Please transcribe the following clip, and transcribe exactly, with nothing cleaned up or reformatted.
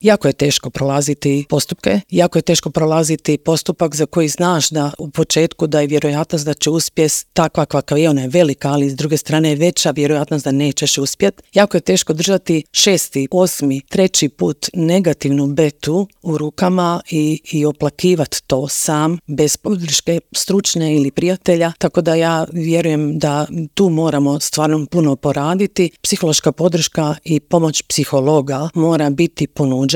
Jako je teško prolaziti postupke, jako je teško prolaziti postupak za koji znaš da u početku da je vjerojatnost da će uspjeti takva kakva je, ona je velika, ali s druge strane je veća vjerojatnost da nećeš uspjeti. Jako je teško držati šesti, osmi, treći put negativnu betu u rukama i, i oplakivati to sam, bez podrške stručne ili prijatelja, tako da ja vjerujem da tu moramo stvarno puno poraditi. Psihološka podrška i pomoć psihologa mora biti ponuđena